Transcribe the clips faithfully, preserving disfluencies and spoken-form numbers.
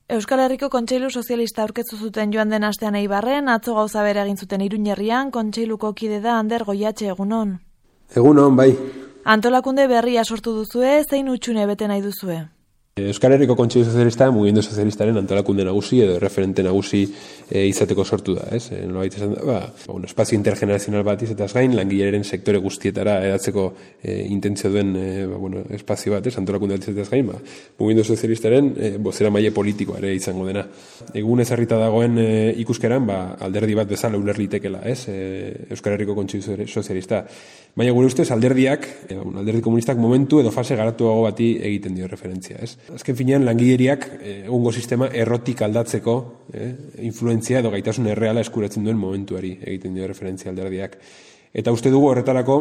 Euskal Herriko Kontseilu Sozialista aurkeztu zuten joan den astean Eibarren, atzo gauza bera egin zuten Iruñerrian, Kontseiluko kide da Ander Goiatxe, egunon. Egunon, bai. Antolakunde berria sortu duzue, zein hutsune bete nahi duzue? Euskal Herriko Kontseilu Sozialista, mugimendu sozialistaren antolakunde nagusi edo referente nagusi e, izateko sortu da, ez? E, Nolabait esan da, ba, un espazio intergenerazional bat izateaz gain, langileren sektore guztietara edatzeko e, intentzio duen e, ba, bueno, espazio bat, ez? Antolakunde bat izateaz gain, ba, mugimendu sozialistaren e, bozera maile politikoa ere izango dena. Egun ezarrita dagoen e, ikuskeran, ba, alderdi bat bezala uler litekela, ez? E, Euskal Herriko Kontseilu Sozialista. Baina gure ustez alderdiak, e, alderdi komunistak momentu edo fase garatuago bati egiten dio referentzia, ez? Azken finean, langileriak egungo sistema errotik aldatzeko eh, influentzia edo gaitasun erreala eskuratzen duen momentuari egiten dio referentzia alderdiak. Eta uste dugu horretarako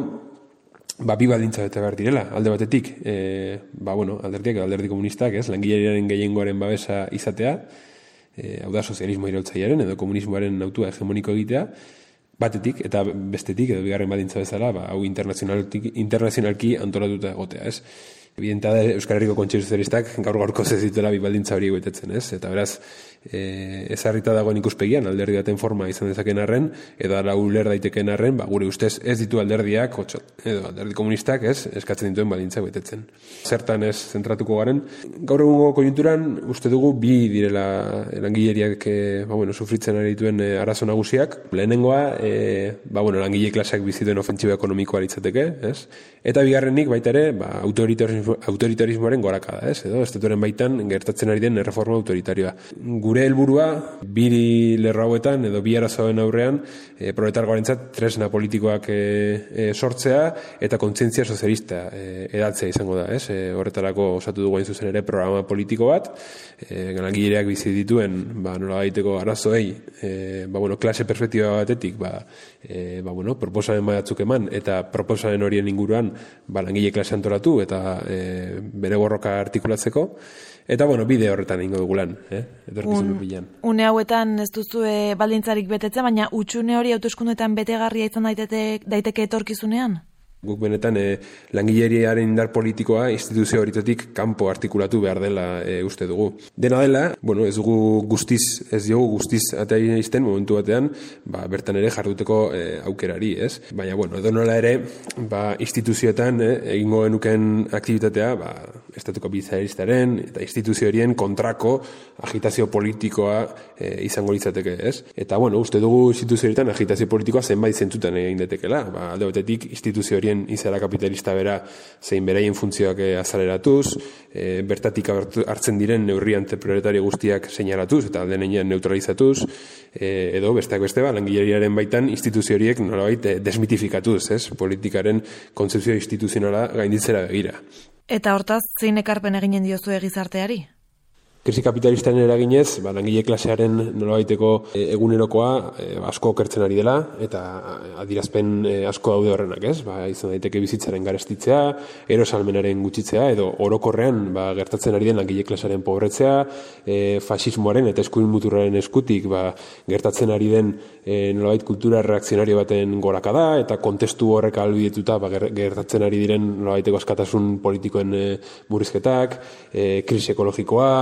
ba, bi baldintza bete behar direla, alde batetik, eh, ba, bueno, alderdiak edo alderdi komunistak, ez, langileriaren gehiengoaren babesa izatea, eh, hau da sozialismo iraultzailearen edo komunismoaren autua hegemoniko egitea, batetik eta bestetik edo bigarren baldintza bezala, ba, hau internazionalki antolatuta egotea, ez. Evidenta da Euskal Herriko Kontseilu Sozialistak gaur gaurko ez dituela bi baldintza hori betetzen, ez? Eta beraz, e, ezarrita dagoen ikuspegian alderdi baten forma izan dezakeen arren, edo ala uler daitekeen arren, ba, gure ustez ez ditu alderdiak, otxo, edo alderdi komunistak, ez, eskatzen dituen baldintza betetzen. Zertan ez zentratuko garen, gaur egungo konjunturan uste dugu bi direla langileriak e, ba, bueno, sufritzen ari dituen e, arazo nagusiak. Lehenengoa, e, ba, bueno, langile klaseak bizi duen ofentsiba ekonomikoa litzateke, ez? Eta bigarrenik baita ere, ba, autoritarismo autoritarismoaren gorakada, ez? Edo estatuaren baitan gertatzen ari den erreforma autoritarioa. Gure helburua bi lerro hauetan edo bi arazoen aurrean e, proletargoarentzat tresna politikoak e, e, sortzea eta kontzientzia sozialista e, edatzea izango da, ez? E, horretarako osatu dugu hain zuzen ere programa politiko bat, e, langileak bizi dituen, ba, nola baiteko arazoei, e, ba, bueno, klase perspektiba batetik, ba, e, ba, bueno, proposamen batzuk eman eta proposamen horien inguruan, ba, langile klase antolatu eta e, bere borroka artikulatzeko, eta, bueno, bide horretan ingo dugu lan, eh? Etorkizun bilan. Une hauetan ez duzue baldintzarik betetzen, baina hutsune hori hauteskundeetan betegarria izan daiteke, daiteke etorkizunean? Guk benetan e, langileriaren indar politikoa instituzio horitatik kanpo artikulatu behar dela e, uste dugu. Dena dela, bueno, ez dugu guztiz, ez diogu guztiz atea izten momentu batean, ba, bertan ere jarduteko e, aukerari, ez? Baina, bueno, edo nola ere, ba, instituzioetan e, egingo genuken aktibitatea, ba, estatuko bizaristaren eta instituzio horien kontrako agitazio politikoa e, izango litzateke, ez? Eta, bueno, uste dugu instituzio horietan agitazio politikoa zenbait zentzutan egin detekela, ba, alde batetik instituzio horien izara kapitalista bera zein beraien funtzioak azaleratuz, e, bertatik hartzen diren neurri antiproletario guztiak seinalatuz eta aldenean neutralizatuz, e, edo besteak beste ba, langileriaren baitan instituzio horiek nolabait desmitifikatuz, ez? Politikaren kontzepzio instituzionala gainditzera begira. Eta hortaz, zein ekarpen eginen diozue gizarteari? Krisi kapitalistaren eraginez, ba, langile klasearen nolabaiteko e, egunerokoa e, asko okertzen ari dela, eta adierazpen e, asko daude horrenak, ez? Ba, izan daiteke bizitzaren garestitzea, erosalmenaren gutxitzea, edo orokorrean ba, gertatzen ari den langile klasearen pobretzea, e, fasismoaren eta eskuin muturraren eskutik ba, gertatzen ari den e, nolabait kultura reakzionario baten gorakada, eta kontestu horrek ahalbidetuta ba, gertatzen ari diren nolabaiteko askatasun politikoen e, murrizketak, e, krisi ekologikoa,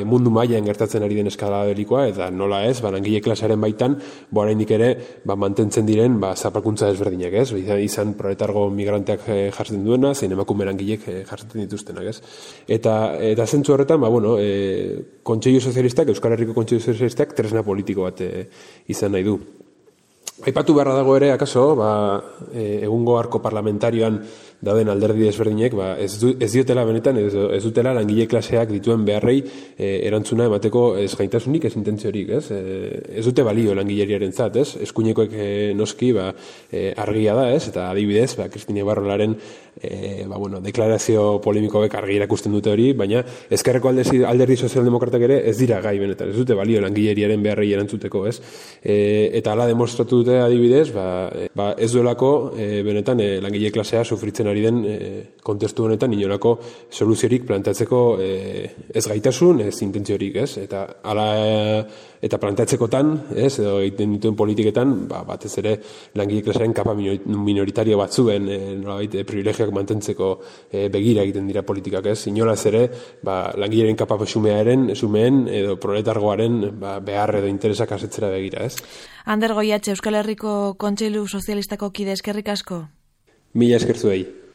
mundu mailan gertatzen ari den eskala belikoa, eta nola ez, ba, langile klasearen baitan, bo oraindik ere, ba, mantentzen diren, ba, zapalkuntza desberdinak, ez? Izan, izan proletargo migranteak e, jartzen duena, zein emakume langilek e, jartzen dituztenak, ez? Eta, eta zentzu horretan, ba, bueno, e, Kontseilu Sozialistak, Euskal Herriko Kontseilu Sozialistak, tresna politiko bat e, izan nahi du. Aipatu beharra dago ere, akaso, ba, e, egungo arko parlamentarioan dauden alderdi desberdinek, ba, ez, du, ez diotela benetan, ez, ez dutela langile klaseak dituen beharrei e, erantzuna emateko ez gaitasunik, ez intentziorik, ez? E, ez dute balio langileriaren zat, ez? Eskuinekoek e, noski, ba, e, argia da, ez? Eta adibidez, ba, Kristine Barrolaren e, ba, bueno, deklarazio polemikoek argi erakusten dute hori, baina ezkerreko alderdi, alderdi sozialdemokratak ere ez dira gai benetan, ez dute balio langileriaren beharrei erantzuteko, ez? E, eta hala demostratu dute adibidez, ba, e, ba, ez duelako e, benetan e, langile klasea sufritzen gertatzen ari den e, kontestu honetan inolako soluziorik planteatzeko e, ez gaitasun, ez intentziorik, ez? Eta hala eta planteatzekotan, ez, edo egiten dituen politiketan, ba, batez ere langile klasearen kapa minoritario batzuen e, nolabait e, privilegioak mantentzeko e, begira egiten dira politikak, ez? Inolaz ere, ba, langileren kapa xumearen, xumeen edo proletargoaren ba, behar edo interesak asetzera begira, ez? Ander Goiatxe, Euskal Herriko Kontseilu Sozialistako kide, eskerrik asko. Mila eskertzuei.